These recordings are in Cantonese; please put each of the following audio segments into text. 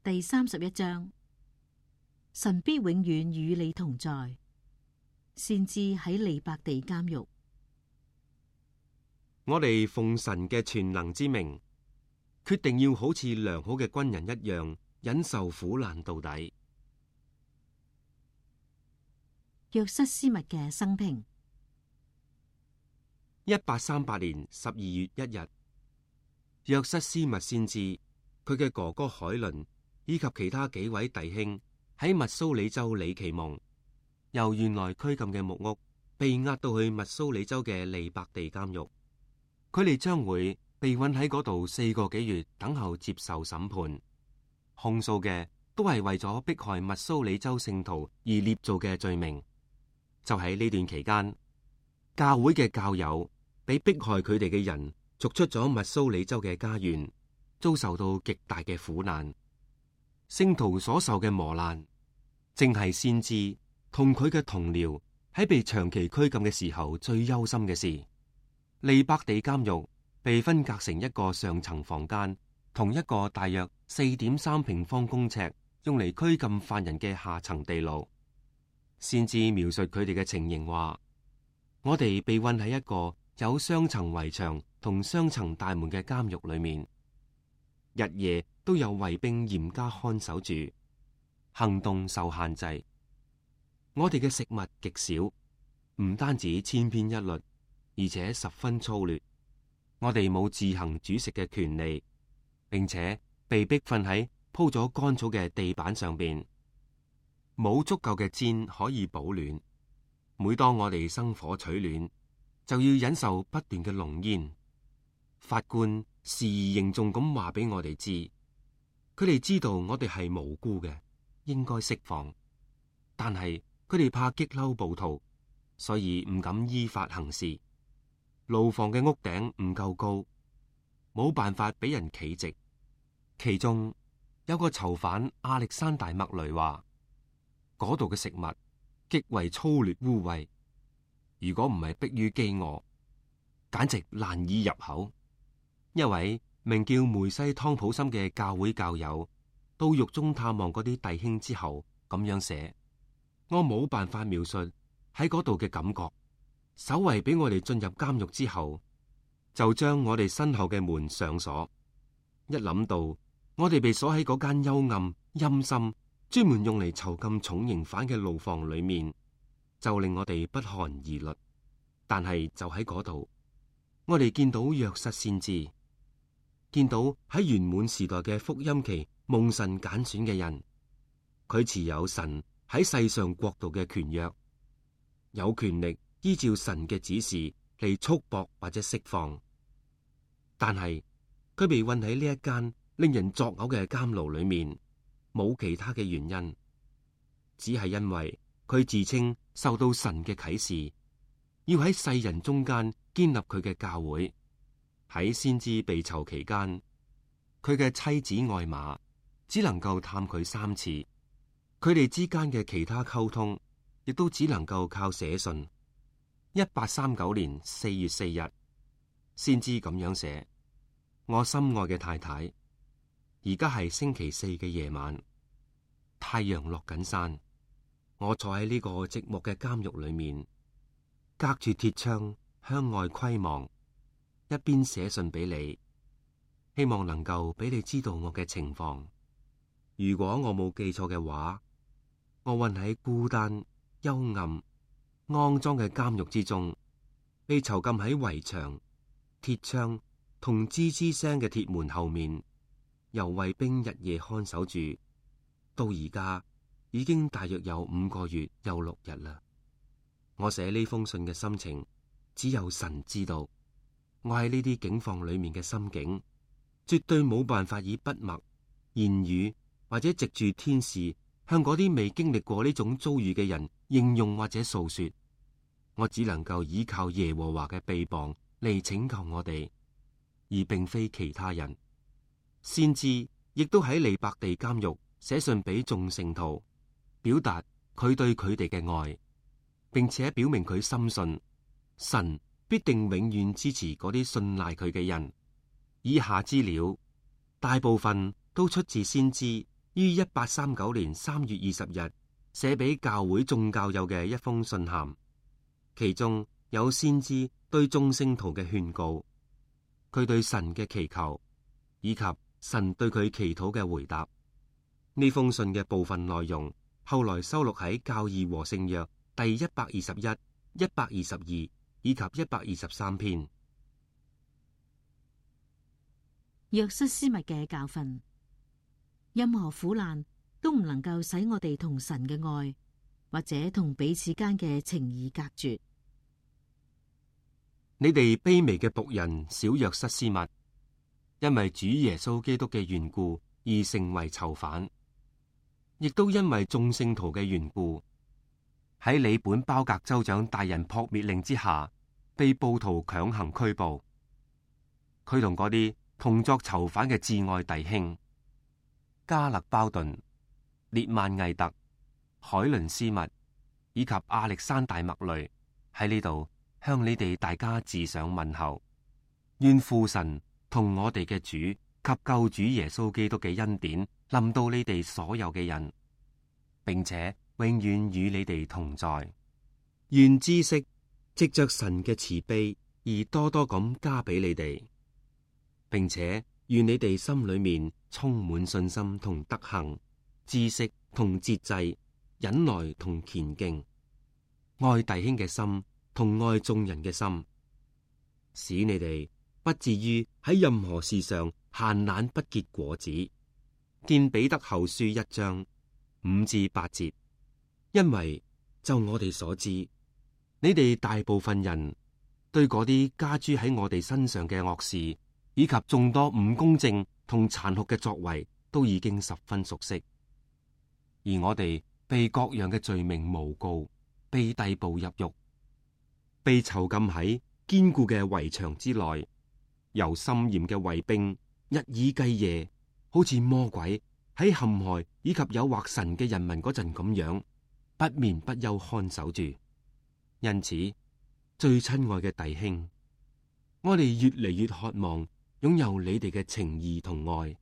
第31章，神必永遠與你同在。先知喺利伯地監獄。我哋奉神嘅全能之名，決定要好似良好嘅軍人一樣，忍受苦難到底。約瑟斯密嘅生平。1838年12月1日，約瑟斯密先知，佢嘅哥哥海倫以及其他幾位弟兄喺密蘇里州里奇蒙，由原來拘禁嘅木屋被押到去密蘇里州嘅利伯地監獄。佢哋將會被困喺嗰度4個幾月，等候接受審判。控訴嘅都係為咗迫害密蘇里州聖徒而捏造嘅罪名。就喺呢段期間，教會嘅教友俾迫害佢哋嘅人逐出咗密蘇里州嘅家園，遭受到極大嘅苦難。聖徒所受嘅磨難，正係先知同佢嘅同僚喺被長期拘禁嘅時候最憂心嘅事。利伯地監獄被分隔成一個上層房間，同一個大約4.3平方公尺用嚟拘禁犯人嘅下層地牢。先知描述佢哋嘅情形話：我哋被困喺一個有雙層圍牆同雙層大門嘅監獄裏面，日夜都有衛兵嚴加看守住，行動受限制。我哋嘅食物極少，唔單止千篇一律，而且十分粗劣。我哋冇自行煮食嘅權利，並且被逼瞓喺鋪咗乾草嘅地板上邊，冇足夠嘅氈可以保暖。每當我哋生火取暖，就要忍受不斷嘅濃煙。法官時而凝重咁話俾我哋知，佢哋知道我哋係無辜嘅，應該釋放，但係佢哋怕激嬲暴徒，所以唔敢依法行事。牢房嘅屋頂唔夠高，冇辦法俾人企直。其中有個囚犯亞歷山大麥雷話，嗰度嘅食物極為粗劣污穢，如果唔係迫於飢餓，簡直難以入口。一位名叫梅西湯普森嘅教會教友到獄中探望嗰啲弟兄之後，咁樣寫：我冇辦法描述喺嗰度嘅感覺。守衛俾我哋進入監獄之後，就將我哋身後嘅門上鎖。一諗到我哋被鎖喺嗰間幽暗陰森、專門用嚟囚禁重刑犯嘅牢房裏面，就令我哋不寒而慄。但係就喺嗰度，我哋見到約瑟先知，見到喺圓滿時代嘅福音期蒙神揀選嘅人，佢持有神喺世上國度嘅權約，有權力依照神嘅指示嚟束縛或者釋放。但係佢被困喺呢一間令人作嘔嘅監牢裏面，冇其他嘅原因，只係因為佢自稱受到神嘅啟示，要喺世人中間建立佢嘅教會。喺先知被囚期間，佢嘅妻子愛瑪只能夠探佢3次，佢哋之間嘅其他溝通亦都只能夠靠寫信。1839年4月4日，先知咁樣寫：我心愛嘅太太，而家係星期4嘅夜晚，太陽落緊山，我坐喺呢個寂寞嘅監獄裏面，隔住鐵窗向外窺望，一邊寫信俾你，希望能夠俾你知道我嘅情況。如果我冇記錯嘅話，我困喺孤單、幽暗、骯髒嘅監獄之中，被囚禁喺圍牆、鐵窗同吱吱聲嘅鐵門後面，由衛兵日夜看守住，到而家已經大約有5個月又6日啦。我寫呢封信嘅心情，只有神知道。我喺呢啲境況裏面嘅心境，絕對冇辦法以筆墨、言語或者藉住天使向嗰啲未經歷過呢種遭遇嘅人應用或者訴說。我只能夠依靠耶和華嘅臂膀嚟拯救我哋，而並非其他人。先知亦都喺利伯地監獄寫信俾眾聖徒，表達佢對佢哋嘅愛，並且表明佢深信神必定永遠支持嗰啲信賴佢嘅人。以下資料大部分都出自先知於1839年3月20日寫俾教會眾教友嘅一封信函，其中有先知對眾聖徒嘅勸告，佢對神嘅祈求，以及神對佢祈禱嘅回答。呢封信嘅部分內容後來收錄喺教義和聖約第121、122以及123篇。約瑟斯密嘅教訓，任何苦難都唔能夠使我哋同神嘅愛或者同彼此間嘅情誼隔絕。你哋卑微嘅僕人小約瑟斯密，因為主耶穌基督嘅緣故而成為囚犯，亦都因為眾聖徒嘅緣故，喺里本包格州長大人撲滅令之下，被暴徒強行拘捕。佢同嗰啲同作囚犯嘅至愛弟兄加勒包頓、列曼毅特、海倫斯密以及亞歷山大麥雷喺呢度向你哋大家致上問候。願父神同我哋嘅主及救主耶穌基督嘅恩典臨到你哋所有嘅人，並且永遠與你哋同在。願知識藉着神嘅慈悲而多多咁加俾你哋，並且願你哋心裏面充滿信心同德行、知識同節制、忍耐同虔敬，愛弟兄嘅心同愛眾人嘅心，使你哋不至於喺任何事上閒懶不結果子。見彼得後書1章5至8節。因為就我哋所知，你哋大部分人對嗰啲加諸喺我哋身上嘅惡事，以及眾多唔公正同殘酷嘅作為，都已經十分熟悉。而我哋被各樣嘅罪名誣告，被逮捕入獄，被囚禁喺堅固嘅圍牆之內，由森嚴嘅衛兵日以繼夜，好似魔鬼喺陷害以及誘惑神嘅人民嗰陣咁樣，不眠不休看守住。因此，最親愛嘅弟兄，我哋越嚟越渴望擁有你哋嘅情義同愛，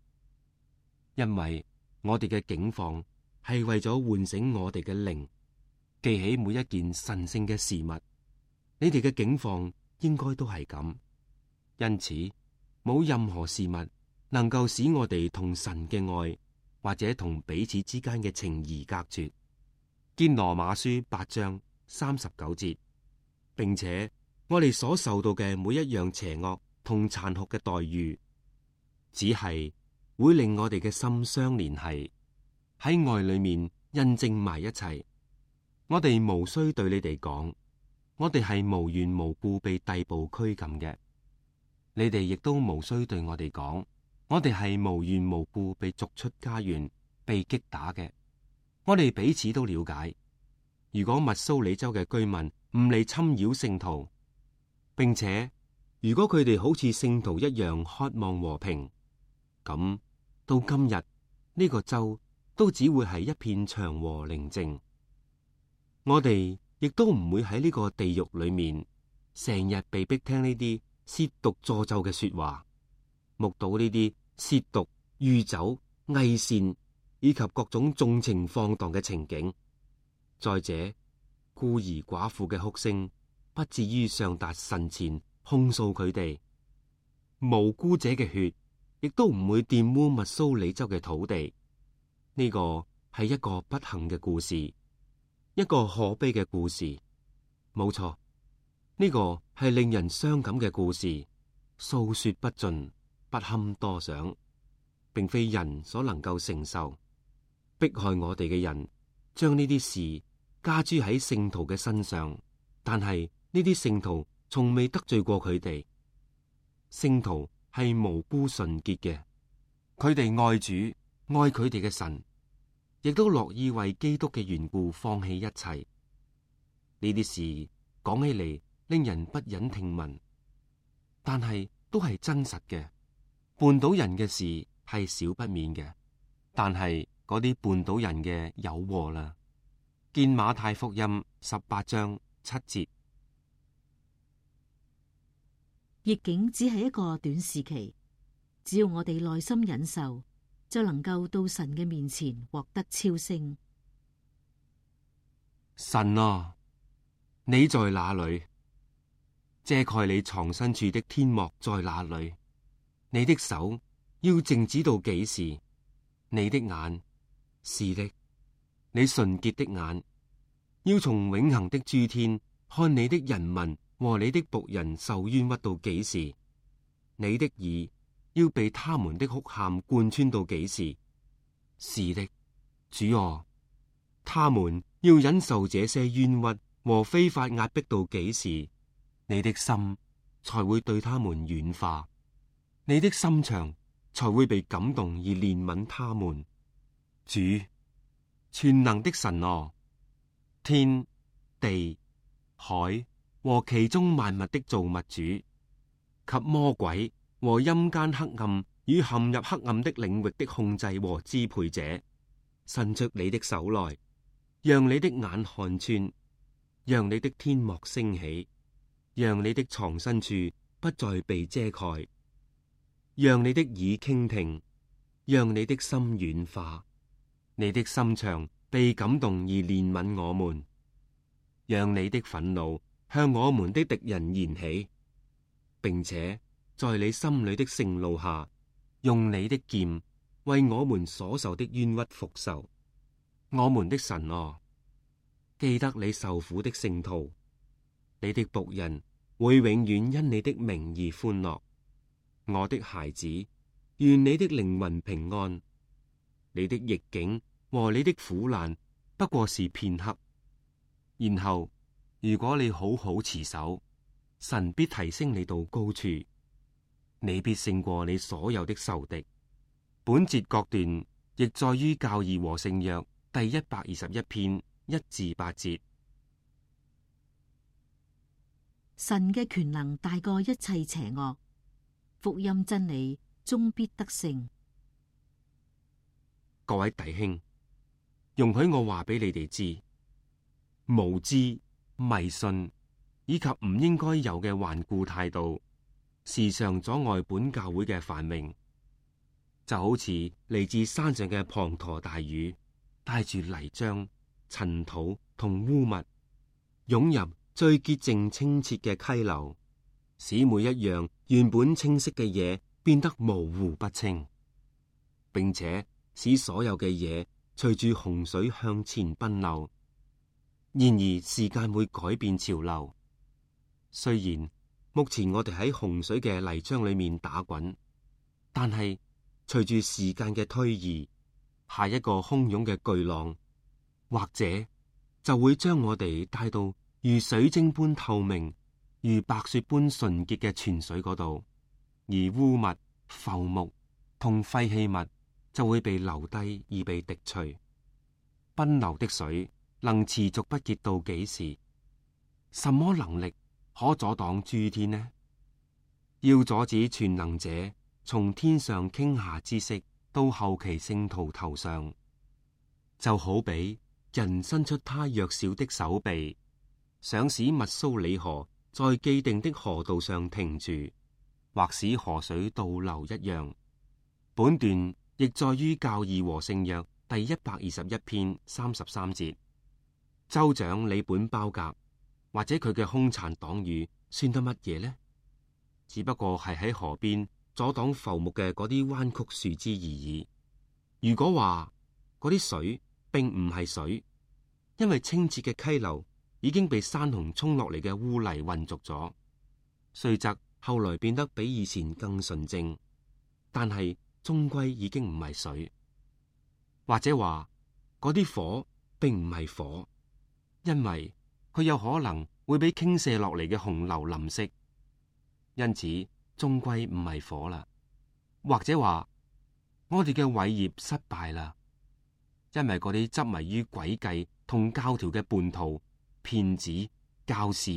因為我哋嘅境況係為咗喚醒我哋嘅靈，記起每一件神聖嘅事物。你哋嘅境況應該都係咁，因此冇任何事物能夠使我哋同神嘅愛或者同彼此之間嘅情誼隔絕。見羅馬書8章39節，並且我哋所受到嘅每一樣邪惡同殘酷嘅待遇，只係會令我哋嘅心相連繫，喺愛裏面印證埋一齊。我哋無需對你哋講，我哋係無緣無故被逮捕拘禁嘅。你哋亦都無需對我哋講，我哋係無緣無故被逐出家園、被擊打嘅。我哋彼此都了解，如果密蘇里州嘅居民唔嚟侵擾聖徒，並且如果佢哋好似聖徒一樣渴望和平，咁到今日呢個州都只會係一片祥和寧靜。我哋亦都唔會喺呢個地獄裏面成日被逼聽呢啲褻瀆詛咒嘅說話，目睹呢啲褻瀆、酗酒、偽善以及各種縱情放蕩嘅情景。再者，孤兒寡婦嘅哭聲不至於上達神前控訴佢哋，無辜者嘅血亦都唔會玷污密蘇里州嘅土地。呢個係一個不幸嘅故事，一個可悲嘅故事。冇錯，呢個係令人傷感嘅故事，訴說不盡，不堪多想，並非人所能夠承受。迫害我哋嘅人將呢啲事加諸喺聖徒嘅身上，但係呢啲聖徒從未得罪過佢哋。聖徒係無辜純潔嘅，佢哋愛主，愛佢哋嘅神，亦都樂意為基督嘅緣故放棄一切。呢啲事講起嚟令人不忍聽聞，但係都係真實嘅。絆倒人嘅事係少不免嘅，但係嗰啲絆倒人嘅有禍啦。見馬太福音18章7節。逆境只係一個短時期，只要我哋耐心忍受，就能夠到神嘅面前獲得超升。神啊，你在哪裏？遮蓋你藏身處的天幕在哪裏？你的手要靜止到幾時？你的眼，是的，你純潔的眼，要從永恆的諸天看你的人民和你的僕人受冤屈到幾時？你的耳要被他們的哭喊貫穿到幾時？是的，主啊，他們要忍受這些冤屈和非法壓迫到幾時？你的心才會對他們軟化，你的心腸才會被感動而憐憫他們。主，全能的神啊，天地海和其中萬物的造物主，及魔鬼和陰間黑暗與陷入黑暗的領域的控制和支配者，伸出你的手來，讓你的眼看穿，讓你的天幕升起，讓你的藏身處不再被遮蓋，讓你的耳傾聽，讓你的心軟化，你的心腸被感動而憐憫我們，讓你的憤怒向我們的敵人燃起，並且在你心裏的盛怒下，用你的劍為我們所受的冤屈復仇。我們的神啊，記得你受苦的聖徒，你的僕人會永遠因你的名而歡樂。我的孩子，願你的靈魂平安。你的逆境和你的苦難不過是片刻，然後如果你好好持守，神必提升你到高處，你必勝過你所有的仇敵。本節各段亦在於教義和聖約第121篇1至8節。神嘅權能大過一切邪惡，福音真理終必得勝。各位弟兄，容許我話俾你哋知，無知、迷信以及唔應該有嘅頑固態度，時常阻礙本教會嘅繁榮。就好似嚟自山上嘅滂沱大雨，帶住泥漿、塵土同污物，湧入最潔淨清澈嘅溪流，使每一樣原本清晰嘅嘢變得模糊不清，並且使所有嘅嘢隨住洪水向前奔流。然而時間會改變潮流，雖然目前我哋喺洪水嘅泥漿裏面打滾，但係隨住時間嘅推移，下一個洶湧嘅巨浪，或者就會將我哋帶到如水晶般透明、如白雪般純潔嘅泉水嗰度，而污物、浮木同廢棄物就會被留低而被滴除。奔流的水能持續不竭到幾時？什麼能力可阻擋諸天呢？要阻止全能者從天上傾下知識到後期聖徒頭上，就好比人伸出他弱小的手臂，想使密蘇里河在既定的河道上停住，或使河水倒流一樣。本段亦在於教義和聖約第121篇33節。州長里本包格或者佢嘅兇殘黨羽算得乜嘢呢？只不過係喺河邊阻擋浮木嘅嗰啲彎曲樹枝而已。如果話嗰啲水並唔係水，因為清澈嘅溪流已經被山洪沖落嚟嘅污泥混濁咗，雖則後來變得比以前更純淨，但係終歸已經唔係水。或者話嗰啲火並唔係火，因為佢有可能會俾傾瀉落嚟嘅洪流淋熄，因此終歸唔係火啦。或者話我哋嘅偉業失敗啦，因為嗰啲執迷於詭計同教條嘅叛徒、騙子、教士、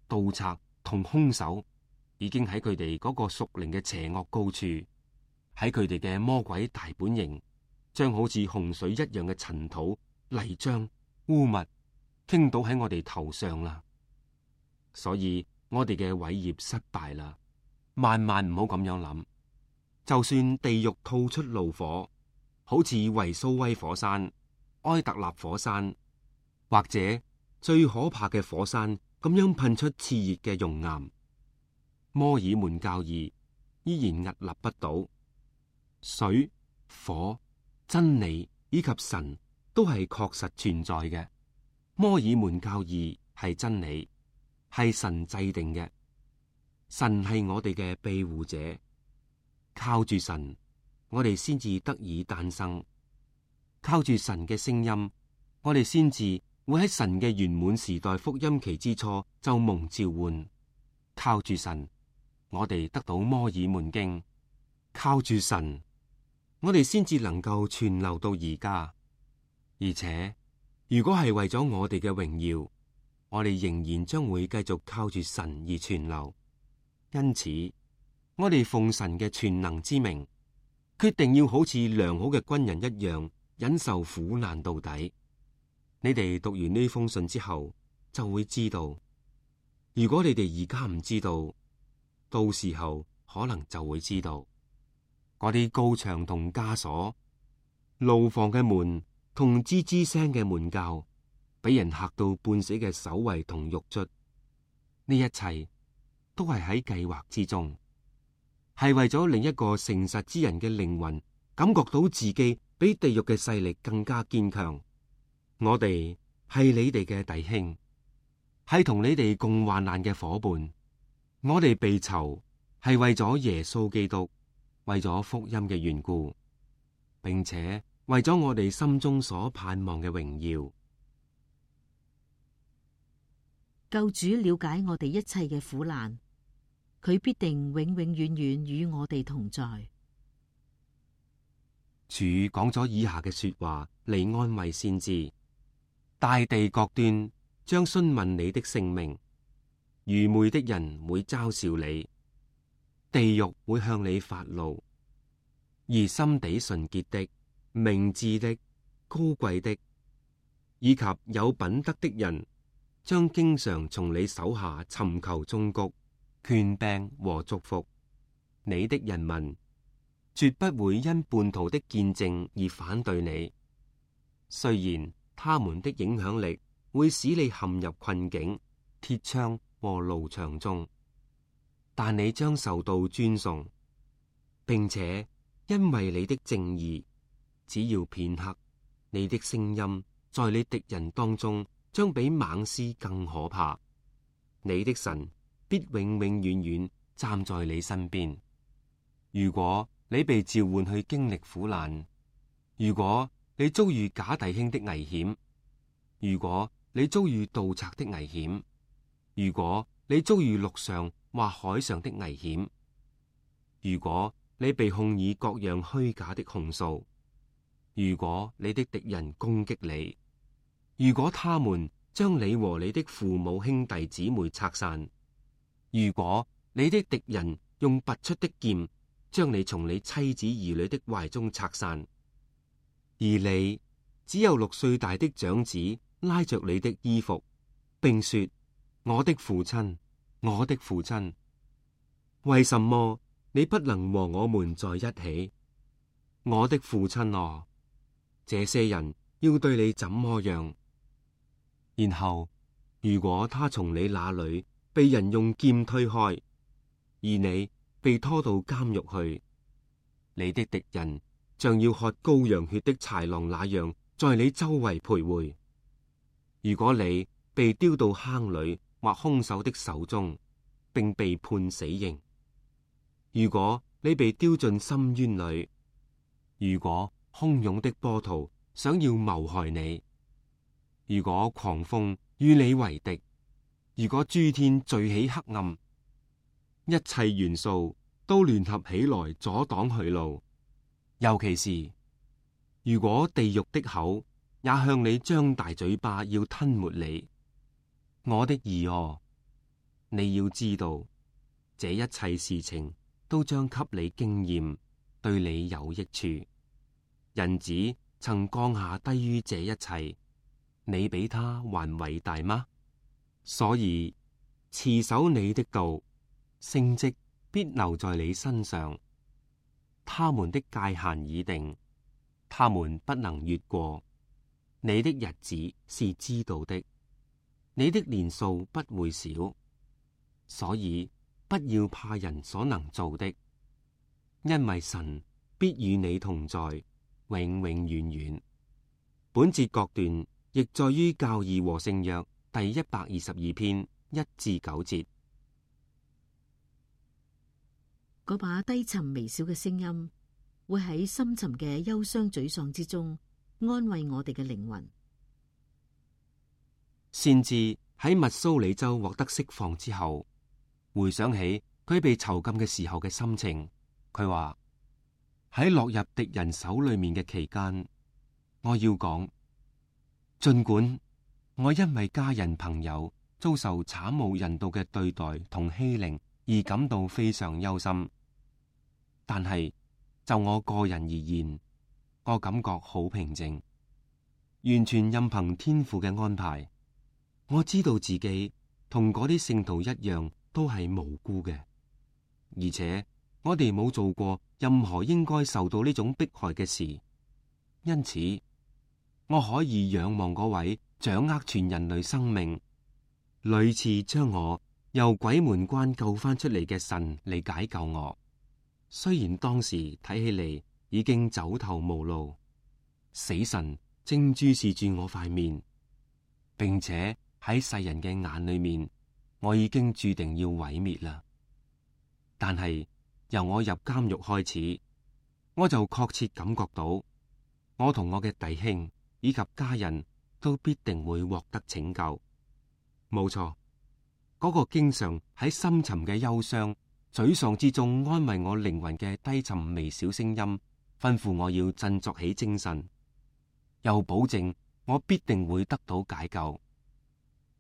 盜賊同兇手，已經喺佢哋嗰個屬靈嘅邪惡高處，喺佢哋嘅魔鬼大本營，將好似洪水一樣嘅塵土、泥漿、污物傾倒喺我哋頭上啦。所以我哋嘅偉業失敗啦，萬萬唔好咁樣諗。就算地獄吐出怒火，好似維蘇威火山、埃特納火山，或者最可怕嘅火山咁樣噴出熾熱嘅熔岩。摩爾門教義依然屹立不倒，水、火、真理以及神都係確實存在嘅。摩爾門教義係真理，係神制定嘅。神係我哋嘅庇護者，靠住神，我哋先至得以誕生。靠住神嘅聲音，我哋先至會喺神嘅圓滿時代福音期之初就蒙召喚。靠住神，我哋得到摩爾門經。靠住神，我哋先至能夠存留到而家。而且，如果係為咗我哋嘅榮耀，我哋仍然將會繼續靠住神而存留。因此，我哋奉神嘅全能之名，決定要好似良好嘅軍人一樣，忍受苦難到底。你哋讀完呢封信之後，就會知道。如果你哋而家唔知道，到時候可能就會知道。嗰啲高牆同枷鎖、牢房嘅門同吱吱聲嘅門鉸，俾人嚇到半死嘅守衛同獄卒，呢一切都係喺計劃之中，係為咗另一個誠實之人嘅靈魂感覺到自己比地獄嘅勢力更加堅強。我哋係你哋嘅弟兄，係同你哋共患難嘅伙伴。我哋被囚係為咗耶穌基督，為咗福音嘅緣故，並且為咗我哋心中所盼望嘅榮耀。救主了解我哋一切嘅苦難，佢必定永永遠遠與我哋同在。主講咗以下嘅說話嚟安慰先知：大地各端將詢問你的性命，愚昧的人會嘲笑你，地獄會向你發怒，而心地純潔的、明智的、高貴的，以及有品德的人，將經常從你手下尋求忠告、權柄和祝福。你的人民絕不會因叛徒的見證而反對你，雖然他們的影響力會使你陷入困境、鐵窗和牢牆中，但你將受到尊崇，並且因為你的正義，只要片刻，你的聲音在你敵人當中將比猛獅更可怕。你的神必永永遠遠站在你身邊。如果你被召喚去經歷苦難，如果你遭遇假弟兄的危險，如果你遭遇盜賊的危險，如果你遭遇陸上或海上的危險，如果你被控以各樣虛假的控訴，如果你的敵人攻擊你，如果他們將你和你的父母兄弟姊妹拆散，如果你的敵人用拔出的劍將你從你妻子兒女的懷中拆散，而你只有6歲大的長子拉着你的衣服，並說：我的父親，我的父親，為什麼你不能和我們在一起？我的父親啊，這些人要對你怎麼樣？然後，如果他從你那裏被人用劍推開，而你被拖到監獄去，你的敵人像要喝羔羊血的豺狼那樣在你周圍徘徊。如果你被丟到坑裏或兇手的手中，並被判死刑；如果你被丟進深淵裏；如果洶湧的波濤想要謀害你；如果狂風與你為敵；如果諸天聚起黑暗，一切元素都聯合起來阻擋去路，尤其是如果地獄的口也向你張大嘴巴要吞沒你，我的兒哦，你要知道，這一切事情都將給你經驗，對你有益處。人子曾降下低於這一切，你比他還偉大嗎？所以持守你的道，聖蹟必留在你身上。他們的界限已定，他們不能越過。你的日子是知道的，你的年數不會少，所以不要怕人所能做的，因為神必與你同在，永永遠遠。本節各段亦在於教義和聖約第122篇1至9節。嗰把低沉微小嘅聲音，會喺深沉嘅憂傷沮喪之中安慰我哋嘅靈魂。先知喺密蘇里州獲得釋放之後，回想起佢被囚禁嘅時候嘅心情，佢話喺落入敵人手裏面嘅期間，我要講，盡管我因為家人朋友遭受慘無人道嘅對待同欺凌而感到非常憂心，但係就我個人而言，我感覺好平靜，完全任憑天父嘅安排。我知道自己同嗰啲聖徒一樣都係無辜嘅，而且我哋冇做過任何應該受到呢種迫害嘅事，因此我可以仰望嗰位掌握全人類生命，屢次將我由鬼門關救翻出嚟嘅神嚟解救我。雖然當時睇起嚟已經走投無路，死神正注視住我塊面，並且喺世人嘅眼裏面，我已經注定要毀滅啦。但係由我入監獄開始，我就確切感覺到，我同我嘅弟兄以及家人都必定會獲得拯救。冇錯，嗰個經常喺深沉嘅憂傷、沮喪之中安慰我靈魂嘅低沉微小聲音，吩咐我要振作起精神，又保證我必定會得到解救。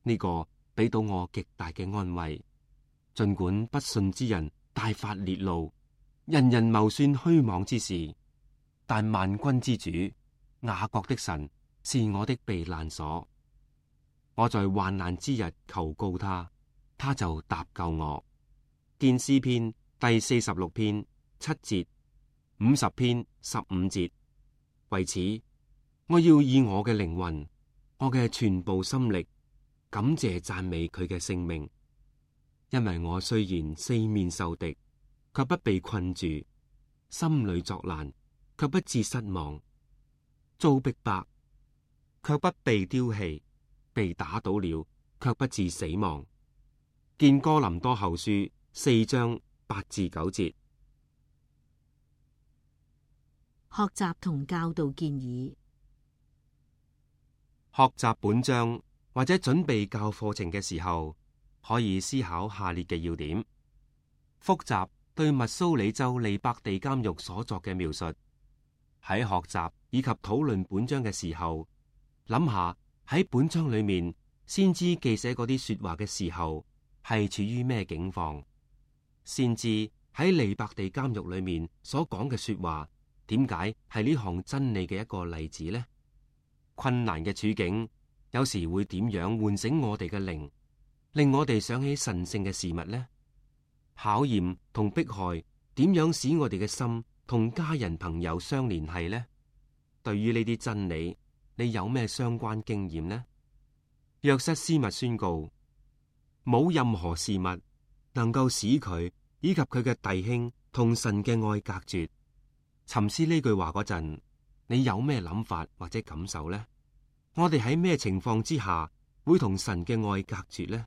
呢個俾到我極大嘅安慰。盡管不信之人大發烈怒，人人謀算虛妄之事，但萬軍之主雅各的神是我的避難所。我在患難之日求告他，他就搭救我。見詩篇第46篇7節，50篇15節。為此，我要以我嘅靈魂，我嘅全部心力，感謝讚美佢嘅聖名。因為我雖然四面受敵，卻不被困住；心裏作難，卻不致失望；遭逼迫，卻不被丟棄；被打倒了，卻不致死亡。見哥林多後書4章8至9節。學習同教導建議。學習本章或者準備教課程嘅時候，可以思考下列嘅要點：複習對密蘇里州利伯地監獄所作嘅描述，喺學習以及討論本章嘅時候，諗下喺本章裏面先知記寫嗰啲說話嘅時候係處於咩境況，先知喺利伯地監獄裏面所講嘅說話，點解係呢項真理嘅一個例子呢？困難嘅處境有時會點樣喚醒我哋嘅靈，令我哋想起神聖嘅事物呢？考驗同迫害點樣使我哋嘅心同家人朋友相聯繫呢？對於呢啲真理，你有咩相關經驗呢？約瑟斯密宣告，冇任何事物能夠使佢以及佢嘅弟兄同神嘅愛隔絕。沉思呢句話嗰陣，你有咩諗法或者感受呢？我哋喺咩情況之下會同神嘅愛隔絕呢？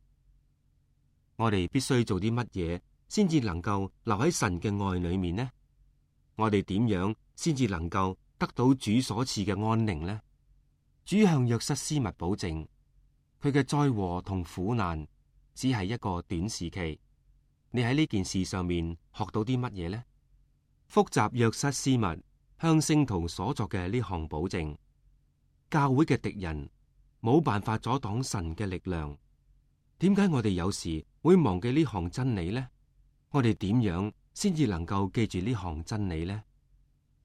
我哋必須做啲乜嘢先至能夠留喺神嘅愛裏面呢？我哋點樣先至能夠得到主所賜嘅安寧呢？主向約瑟斯密保證，佢嘅災禍同苦難只係一個短時期。你喺呢件事上面學到啲乜嘢呢？複習約瑟斯密向聖徒所作嘅呢項保證，教會嘅敵人冇辦法阻擋神嘅力量。點解我哋有時會忘記呢項真理呢？我哋點樣先至能夠記住呢項真理呢？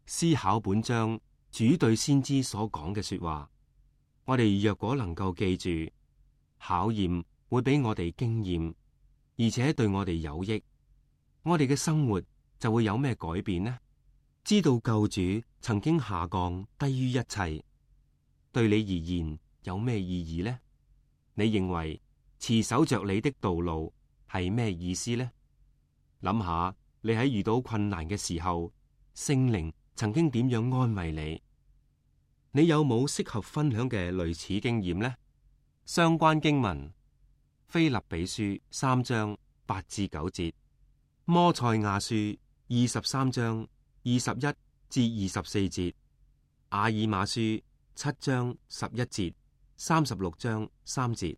思考本章主對先知所講嘅說話，我哋若果能夠記住，考驗會俾我哋經驗，而且對我哋有益，我哋嘅生活就會有咩改變呢？知道救主曾經下降低於一切，對你而言有咩意義呢？你認為持守着你的道路係咩意思呢？諗下你喺遇到困難嘅時候，聖靈曾經點樣安慰你？你有冇適合分享嘅類似經驗呢？相關經文：腓立比書3章8至9節，摩賽亞書23章21至24節，阿爾瑪書7章11節，36章3節。